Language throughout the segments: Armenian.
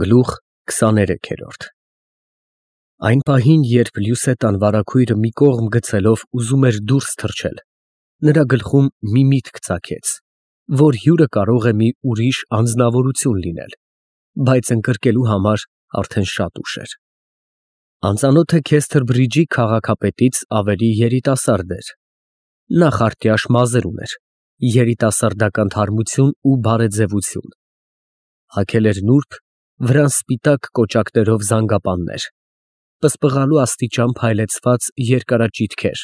Գլուխ 23 Այն պահին, երբ Լյուսետան վարագույրը մի կողմ գցելով ուզում էր դուրս թռչել, նրա գլխում մի միտք ծագեց, որ հյուրը կարող է մի ուրիշ անձնավորություն լինել, բայց ընկրկելու համար արդեն շատ ուշ էր։ Անծանոթը Քեսթրբրիջի քաղաքապետից ավելի երիտասարդ էր։ Նա խարտյաշ մազեր ուներ, երիտասարդական թարմություն ու բարեձևություն։ Հագել էր նուրբ, վրան սպիտակ կոճակներով զանգապաններ, պսպղալու աստիճան փայլեցված երկարաճիթքեր,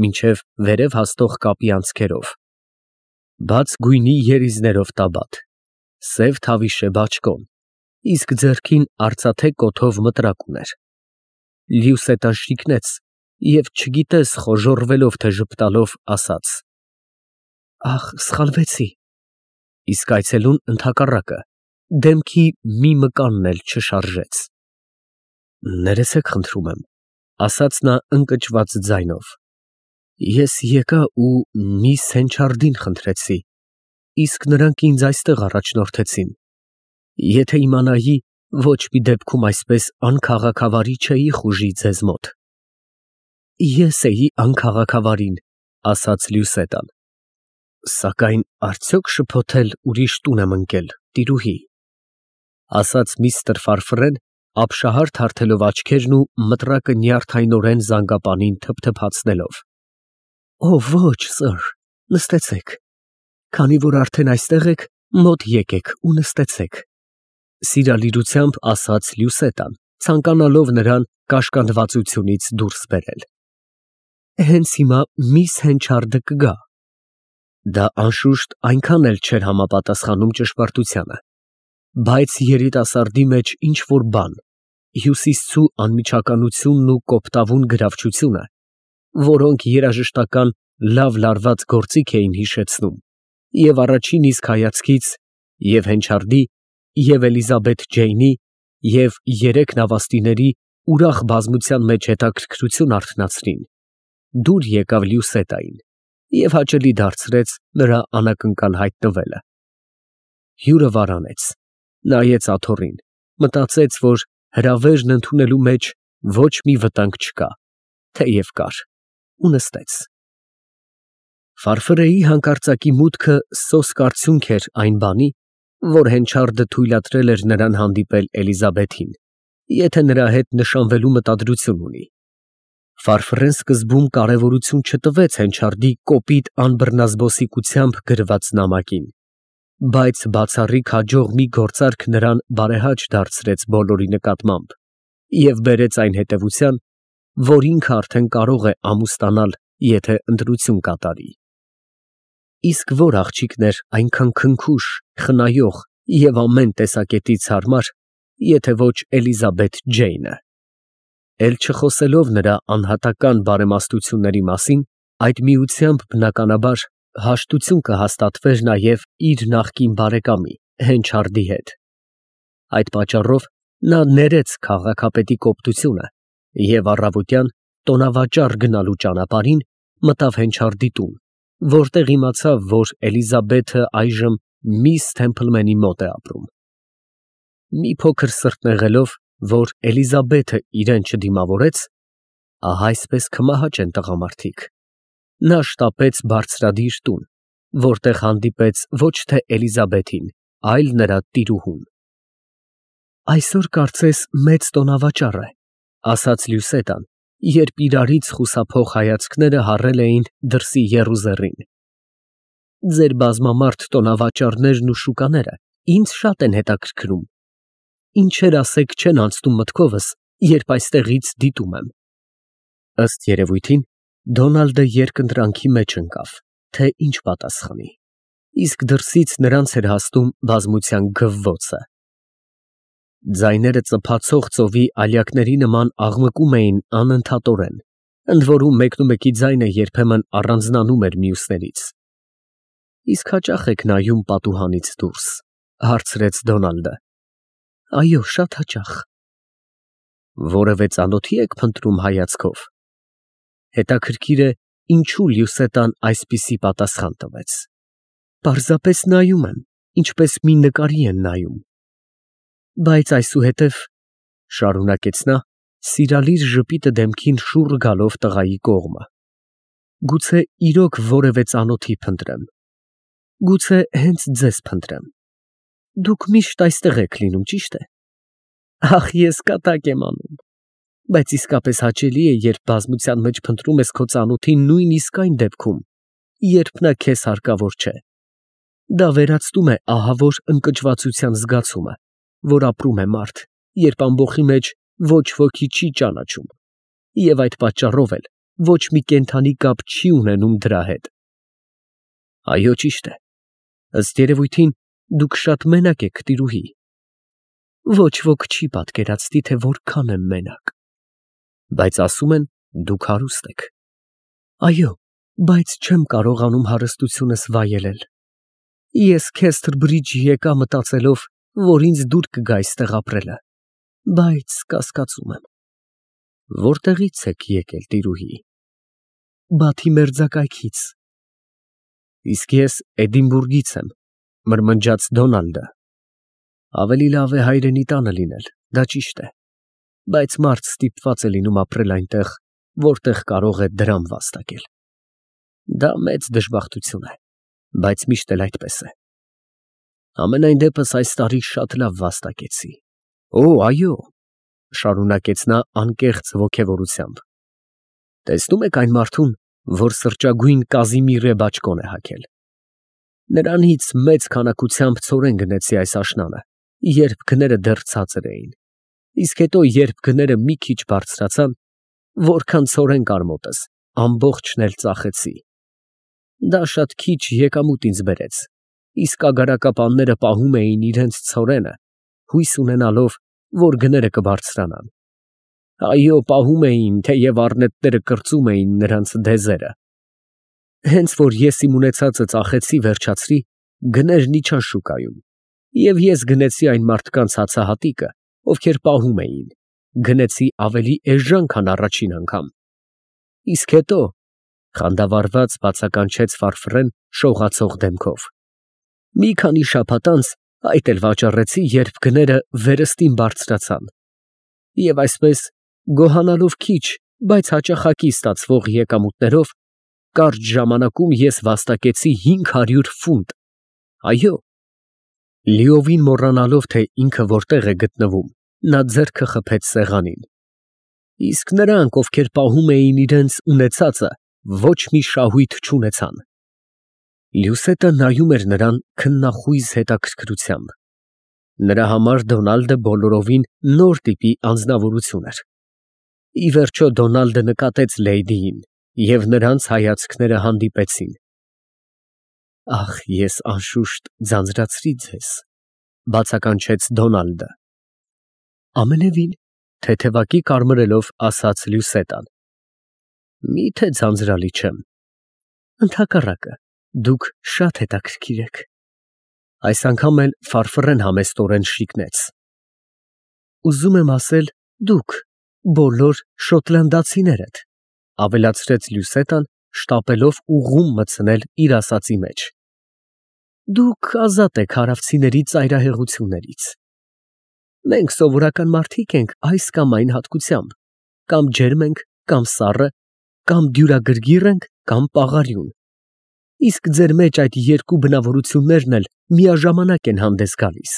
մինչև վերև հասնող կապի անցքերով, բաց գույնի երիզներով տաբատ, սև թավիշե բաճկոն, իսկ ձեռքին արծաթե կոթով մտրակ ուներ։ Լյուսետան շիկնեց և չգիտես խոժոռվելով, թե ժպտալով ասաց. «Ախ, սխալվեցի», իսկ այցելուն ընդհակառակը, դեմքի մի մկանն էլ չշարժեց։ «Ներեցեք, խնդրում եմ», ասաց նա ընկճված ձայնով, «ես եկա ու միս Հենչարդին խնդրեցի, իսկ նրանք ինձ այստեղ առաջնորդեցին։ Եթե իմանայի, ոչ մի դեպքում այսպես անքաղաքավարի չէի խուժի ձեզ մոտ»։ «Ես էի անքաղաքավարին», ասաց Լյուսետան, «սակայն արդյոք շփոթել ուրիշ տուն եմ ընկել, տիրուհի», ասաց միստր Ֆարֆրեն, ապշահար թարթելով աչքերն ու մտրակը նյարդայնորեն զանգապանին թփթփացնելով։ «Ոչ, սըր, նստեցեք, քանի որ արդեն այստեղ եք, մոտ եկեք ու նստեցեք», սիրալիրությամբ ասաց Լյուսետան, ցանկանալով նրան կաշկանդվածությունից դուրս բերել։ «Հենց հիմա միս Հենչարդը կգա»։ Դա անշուշտ այնքան էլ չէր համապատասխանում ճշմարտությանը, բայց երիտասարդի մեջ ինչ֊որ բան, հյուսիսցու անմիջականությունն ու կոպտավուն գրավչությունը, որոնք երաժշտական լավ լարված գործիք էին հիշեցնում, և առաջին իսկ հայացքից և Հենչարդի, և Էլիզաբեթ Ջեյնի, և երեք նավաստիների ուրախ բազմության մեջ հետաքրքրություն արթնացրին, դուր եկավ Լյուսետային և հաճելի դարձրեց նրա անակնկալ հայտնվելը։ Հյուրը վարանեց, նայեց աթոռին, մտածեց, որ հրավերն ընդունելու մեջ ոչ մի վտանգ չկա, թեև կար, ու նստեց։ Ֆարֆրեի հանկարծակի մուտքը սոսկ արդյունք էր այն բանի, որ Հենչարդը թույլատրել էր նրան հանդիպել Էլիզաբեթին, եթե նրա հետ նշանվելու մտադրություն ունի։ Ֆարֆրեն սկզբում կարևորություն չտվեց Հենչարդի կոպիտ անբռնազբոսիկությամբ գրված նամակին, բայց բացառիկ հաջող մի գործարք նրան բարեհաճ դարձրեց բոլորի նկատմամբ և բերեց այն հետևության, որ ինքը արդեն կարող է ամուսնանալ, եթե ընտրություն կատարի։ Իսկ որ աղջիկն էր այնքան քնքուշ, խնայող և ամեն տեսակետից հարմար, եթե ոչ Էլիզաբեթ Ջեյնը։ Էլ չխոսելով նրա անհատական բարեմաստությունների մասին, այդ միությամբ բնականաբար հաշտություն կհաստատվեր նաև իր նախկին բարեկամի Հենչարդի հետ։ Այդ պատճառով նա ներեց քաղաքապետի կոպտությունը և առավոտյան տոնավաճառ գնալու ճանապարհին մտավ Հենչարդի տուն, որտեղ իմացավ, որ Էլիզաբեթը այժմ միս Թեմփլմենի մոտ է ապրում։ Մի փոքր սրտնեղելով, որ Էլիզաբեթը իրան չդիմավորեց, ահա այսպես կմահաճեն տղամարդիկ, նա շտապեց բարձրադիր տուն, որտեղ հանդիպեց ոչ թե Էլիզաբեթին, այլ նրա տիրուհուն։ «Այսօր կարծես մեծ տոնավաճառ է», ասաց Լյուսետան, երբ իրարից խուսափող հայացքները հառել էին դրսի եռուզեռին։ «Ձեր բազմամարդ տոնավաճառներն ու շուկաները ինձ շատ են հետաքրքրում։ Ինչեր ասեք չեն անցնում մտքովս, երբ այստեղից դիտում եմ»։ Ըստ երևույթին, Դոնալդը երկընտրանքի մեջ ընկավ, թե ինչ պատասխանի, իսկ դրսից նրանց էր հասնում բազմության գվվոցը։ Ձայները ծփացող ծովի ալյակների նման աղմկում էին անընդհատորեն, ընդ որում մեկնումեկի ձայնը երբեմն առանձնանում էր մյուսներից։ «Իսկ հաճա՞խ եք նայում պատուհանից դուրս», հարցրեց Դոնալդը։ «Այո, շատ հաճախ»։ «Որևէ ծանոթի եք փնտրում հայացքով»։ Հետաքրքիր է, ինչու Լյուսետան այսպիսի պատասխան տվեց։ «Պարզապես նայում եմ, ինչպես մի նկարի են նայում»։ Բայց այսուհետև, շարունակեց նա, սիրալիր ժպիտը դեմքին շուռ գալով տղայի կողմը, գուցե իրոք որևէ ծանոթի փնտրեմ, գուցե հենց ձեզ փնտրեմ, դուք միշտ այստեղ եք լինում, ճիշտ է։ Ախ, ես կատակ եմ անում, բայց իսկապես հաճելի է, երբ բազմության մեջ փնտրում ես քո ծանոթին նույնիսկ այն դեպքում, երբ նա քեզ հարկավոր չէ։ Դա վերացնում է ահավոր ընկճվածության զգացումը, որ ապրում է մարդ, երբ ամբոխի մեջ ոչ ոքի չի ճանաչում, և այդ պատճառով էլ ոչ մի կենդանի կապ չի ունենում դրա հետ։ Այո, ճիշտ է, ըստ երևույթին, դուք շատ մենակ եք, տիրուհի։ Ոչ ոք չի պատկերացնի, թե որքան եմ մենակ։ Բայց ասում են, դուք հարուստ եք։ Այո, բայց չեմ կարողանում հարստությունս վայելել։ Ես Քեսթր Բրիջի եկա մտածելով, որ ինձ դուր կգա այստեղ ապրելը, բայց կասկածում եմ։ Որտեղից եք եկել, տիրուհի։ Բաթի մերձակայքից։ Իսկ ես Էդինբուրգից եմ, մրմնջաց Դոնալդը։ Ավելի լավ է հայրենի տանը լինել, դա ճիշտ է, բայց մարդ ստիպված է լինում ապրել այնտեղ, որտեղ կարող է դրամ վաստակել։ Դա մեծ դժբախտություն է, բայց միշտ էլ այդպես է։ Ամենայն դեպս այս տարի շատ լավ վաստակեցի։ Օ, այո, շարունակեց նա անկեղծ ոգևորությամբ։ Տեսնում եք այն մարդուն, որ սրճագույն կազիմիրե բաճկոն է հագել։ Նրանից մեծ քանակությամբ ցորեն գնեցի այս աշնանը, երբ գները դեռ ցածր էին, իսկ հետո, երբ գները մի քիչ բարձրացան, որքան ցորեն կար մոտս, ամբողջն էլ ծախեցի։ Դա շատ քիչ եկամուտ ինձ բերեց, իսկ ագարակապանները պահում էին իրենց ցորենը, հույս ունենալով, որ գները կբարձրանան։ Այո, պահում էին, թեև առնետները կրծում էին նրանց դեզերը։ Հենց որ ես իմ ունեցածը ծախեցի, վերջացրի, գներն իջան շուկայում, և ես գնեցի այն մարդկանց հացահատիկը, ովքեր պահում էին, գնեցի ավելի էժան, քան առաջին անգամ։ Իսկ հետո, խանդավառված բացականչեց Ֆարֆռեն շողացող դեմքով, մի քանի շաբաթ անց այդ էլ վաճառեցի, երբ գները վերստին բարձրացան, և այսպես, գոհանալով քիչ, բայց հաճախակի ստացվող եկամուտներով, կարճ ժամանակում ես վաստակեցի 500 ֆունտ։ Այո։ Լիովին մոռանալով, թե ինքը որտեղ է գտնվում, նա ձեռքը խփեց սեղանին։ Իսկ նրանք, ովքեր պահում էին իրենց ունեցածը, ոչ մի շահույթ չունեցան։ Լյուսետը նայում էր նրան քննախույզ հետաքրքրությամբ։ Նրա համար Դոնալդը բոլորովին նոր տիպի անձնավորություն էր։ Ի վերջո Դոնալդը նկատեց լեյդիին, և նրանց հայացքները հանդիպեցին։ Ախ, ես անշուշտ ձանձրացրի ձեզ, բացականչեց Դոնալդը։ Ամենևին, թեթևակի կարմրելով ասաց Լյուսետան։ Մի՞թե ձանձրալի չեմ։ Ընդհակառակը, դուք շատ հետաքրքիր եք։ Այս անգամ էլ Ֆարֆռեն համեստորեն շիկնեց։ Ուզում եմ ասել, դուք, բոլոր շոտլանդացիներդ, ավելացրեց Լյուսետան, շտապելով ուղղում մտցնել իր ասածի մեջ։ Դուք ազատ եք հարավցիների ծայրահեղություններից։ Մենք սովորական մարդիկ ենք այս կամ այն հատկությամբ, կամ ջերմ ենք, կամ սառը, կամ դյուրագրգիռ ենք, կամ պաղարյուն։ Իսկ ձեր մեջ այդ երկու բնավորություններն էլ միաժամանակ են հանդես գալիս։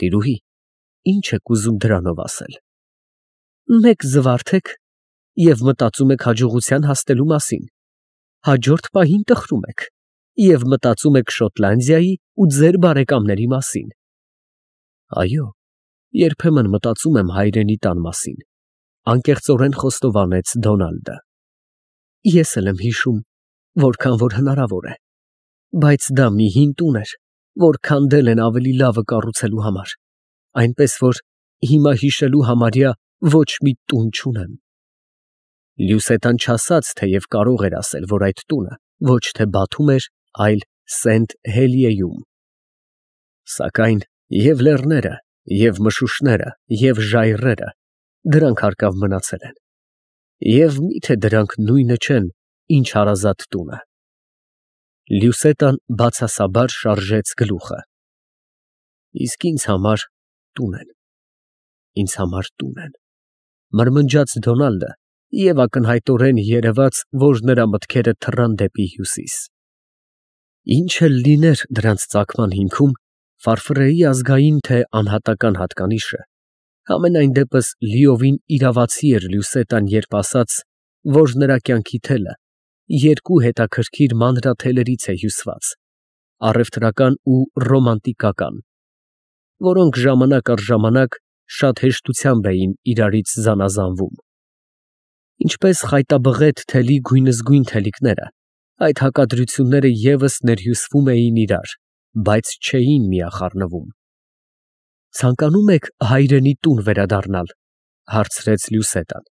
Տիրուհի, ինչ եք ուզում դրանով ասել։ Մեկ զվարթ եք և մտածում եք հաջողության հասնելու մասին, հաջորդ պահին տխրում եք և մտածում եք Շոտլանդիայի ու ձեր բարեկամների մասին։ Այո, երբեմն մտածում եմ հայրենի տան մասին, անկեղծորեն խոստովանեց Դոնալդը։ Ես էլ եմ հիշում, որքան որ հնարավոր է, բայց դա մի հին տուն էր, որ քանդել են ավելի լավը կառուցելու համար, այնպես որ հիմա հիշելու համարյա ոչ մի տուն չունեմ։ Լյուսետան չասաց, թեև կարող էր ասել, որ այդ տունը ոչ թե Բաթում էր, այլ Սենթ Հելիեում։ Սակայն և լեռները, և մշուշները, և ժայռերը, դրանք հարկավ մնացել են։ Եվ մի՞թե դրանք նույնը չեն, ինչ հարազատ տունը։ Լյուսետան բացասաբար շարժեց գլուխը։ Իսկ ինձ համար տուն են, ինձ համար տուն են, մրմնջաց Դոնալդը և ակնհայտորեն երևաց, որ նրա մտքերը թռան դեպի հյուսիս։ Ինչ էլ լիներ դրանց ծագման հիմքում, Ֆարֆրեի ազգային թե անհատական հատկանիշը, համենայն դեպս լիովին իրավացի էր Լյուսետան, երբ ասաց, որ նրա կյանքի թելը երկու հետաքրքիր մանրաթելերից է հյուսված, առևտրական ու ռոմանտիկական, որոնք ժամանակ առ ժամանակ շատ հեշտությամբ էին իրարից զանազանվում։ Ինչպես խայտաբղետ թելի գույնզգույն թելիկները, այդ հակադրությունները ևս ներհյուսվում էին իրար, բայց չէին միախառնվում։ «Ցանկանում եք հայրենի տուն վերադառնալ», հարցրեց Լյուսետան։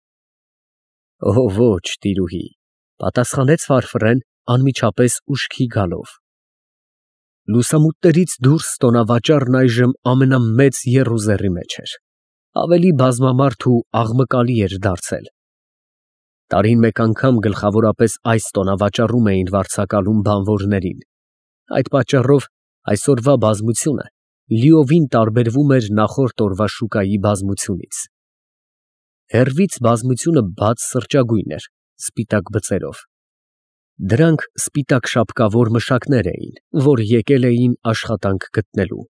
«Օ, ոչ, տիրուհի», պատասխանեց Ֆարֆրեն անմիջապես ուշքի գալով։ Լուսամուտներից դուրս տոնավաճառն այժմ ամենամեծ եռուզեռի մեջ էր, ավելի բազմամարդ ու աղմկալի էր դարձել։ Տարին մեկ անգամ գլխավորապես այս տոնավաճառում էին վարձակալում բանվորներին, այդ պատճառով այսօրվա բազմությունը լիովին տարբերվում էր նախորդ օրվա շուկայի բազմությունից։ Հեռվից բազմությունը բաց սրճագույն էր, սպիտակ բծերով։ Դրանք սպիտակ շապկավոր մշակներ էին, որ եկել էին աշխատանք գտնելու։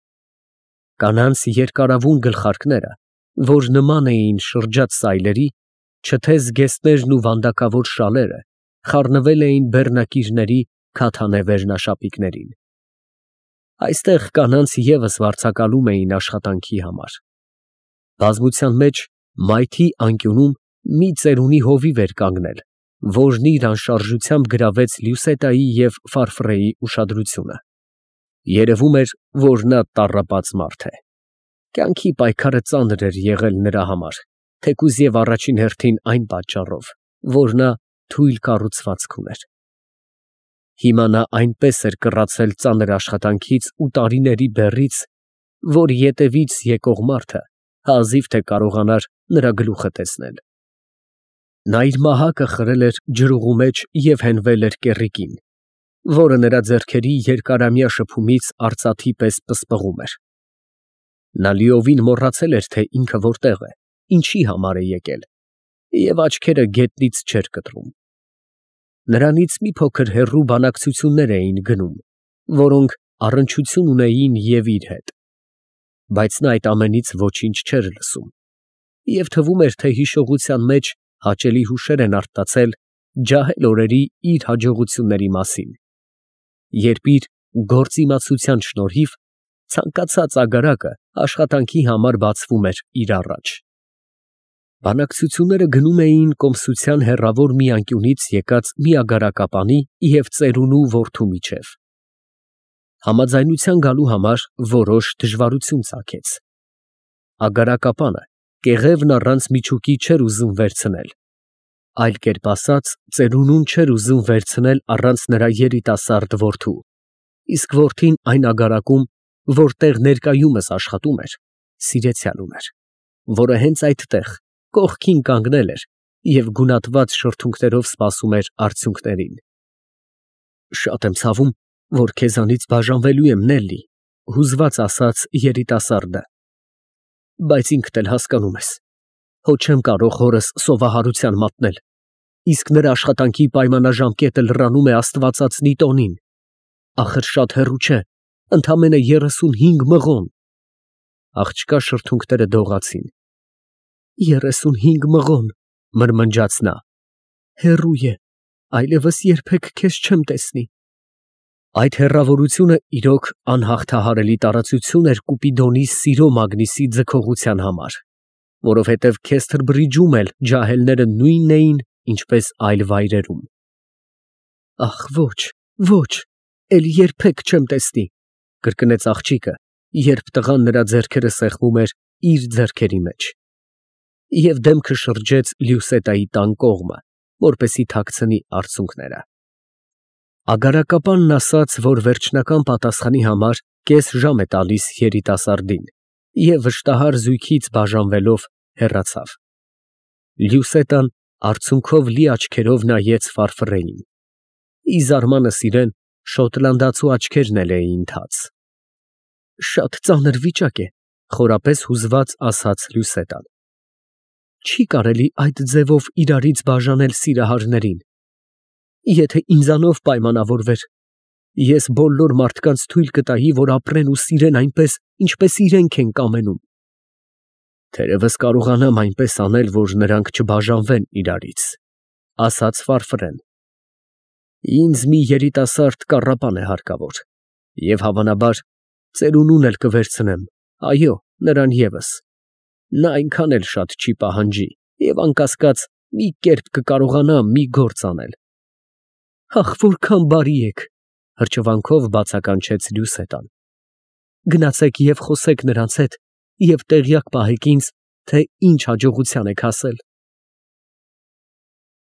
Կանանց երկարավուն գլխարկները, որ նման էին շրջած սայլերի, չթե զգեստներն ու վանդակավոր շալերը խառնվել էին բեռնակիրների քաթանե վերնաշապիկներին։ Այստեղ կանանց ևս վարձակալում էին աշխատանքի համար։ Բազմության մեջ մայթի անկյունում մի ծերունի հովիվ էր կանգնել, որն իր անշարժությամբ գրավեց Լյուսետայի և Ֆարֆրեի ուշադրությունը։ Երևում էր, որ նա տառապած մարդ է։ Կյանքի պայքարը ծանր էր եղել նրա համար, թեկուզ և առաջին հերթին այն պատճառով, որ նա թույլ կառուցվածք ուներ։ Հիմա նա այնպես էր կռացել ծանր աշխատանքից ու տարիների բեռից, որ ետևից եկող մարդը հազիվ թե կարողանար նրա գլուխը տեսնել։ Նա իր մահակը խրել էր ջրուղու մեջ և հենվել էր կեռիկին, որը նրա ձեռքերի երկարամյա շփումից արծաթի պես պսպղում էր։ Նա լիովին մոռացել էր, թե ինքը որտեղ է, ինչի համար է եկել, և աչքերը գետնից չէր կտրում։ Նրանից մի փոքր հեռու բանակցություններ էին գնում, որոնք առնչություն ունեին և իր հետ, բայց նա այդ ամենից ոչինչ չէր լսում, և թվում էր, թե հիշողության մեջ հաճելի հուշեր են արթնացել ջահել օրերի իր հաջողությունների մասին, երբ իր գործիմացության շնորհիվ ցանկացած ագարակը աշխատանքի համար բացվում էր իր առաջ։ Բանակցությունները գնում էին կոմսության հեռավոր մի անկյունից եկած մի ագարակապանի և ծերունու որդու միջև։ Համաձայնության գալու համար որոշ դժվարություն ծագեց։ Ագարակապանը կեղևն առանց միջուկի չէր ուզում վերցնել, այլ կերպ ասած, ծերունուն չէր ուզում վերցնել առանց նրա երիտասարդ որդու, իսկ որդին այն ագարակում, որտեղ ներկայումս աշխատում էր, սիրեցյալ ուներ, որը հենց այդտեղ կողքին կանգնել էր և գունատված շրթունքներով սպասում էր արդյունքներին։ «Շատ եմ ցավում, որ քեզանից բաժանվելու եմ, Նելլի», հուզված ասաց երիտասարդը, «բայց ինքդ էլ հասկանում ես, հո չեմ կարող հորս սովահարության մատնել, իսկ նրա աշխատանքի պայմանաժամկետը լրանում է աստվածածնի տոնին, ախր շատ հեռու չէ, ընդամենը 35 մղոն»։ Աղջկա շրթունքները դողացին։ 35 մղոն, մրմնջաց նա, հեռու է, այլևս երբեք քեզ չեմ տեսնի։ Այդ հեռավորությունը իրոք անհաղթահարելի տարածություն էր Կուպիդոնի սիրո մագնիսի ձգողության համար, որովհետև Քեսթրբրիջում էլ ջահելները նույնն էին, ինչպես այլ վայրերում։ Ախ, ոչ, ոչ, էլ երբեք չեմ տեսնի, կրկնեց աղջիկը, երբ տղան նրա ձեռքերը սեղմում էր իր ձեռքերի մեջ, և դեմքը շրջեց Լյուսետայի տան կողմը, որպեսզի թաքցնի արցունքները։ Ագարակապանն ասաց, որ վերջնական պատասխանի համար կես ժամ է տալիս երիտասարդին, և վշտահար զույգից բաժանվելով հեռացավ։ Լյուսետան արցունքով լի աչքերով նայեց Ֆարֆրեին։ Ի զարմանս իրեն շոտլանդացու աչքերն էլ էին թաց։ Շատ ծանր վիճակ է, Խորապես հուզված ասաց Լյուսետան։ Չի կարելի այդ ձևով իրարից բաժանել սիրահարներին։ Եթե ինձանով պայմանավորվեր, ես բոլոր մարդկանց թույլ կտայի, որ ապրեն ու սիրեն այնպես, ինչպես իրենք են կամենում։ Թերևս կարողանամ այնպես անել, որ նրանք չբաժանվեն իրարից, ասաց Ֆարֆրեն։ Ինձ մի երիտասարդ կառապան է հարկավոր, և հավանաբար ծերունուն էլ կվերցնեմ, այո, նրան ևս։ Նա այնքան էլ շատ չի պահանջի և անկասկած մի կերպ կկարողանա մի գործ անել։ Ախ, որքան բարի եք, հրճվանքով բացականչեց Լյուսետան։ Գնացեք և խոսեք նրանց հետ և տեղյակ պահեք ինձ, թե ինչ հաջողության եք հասել։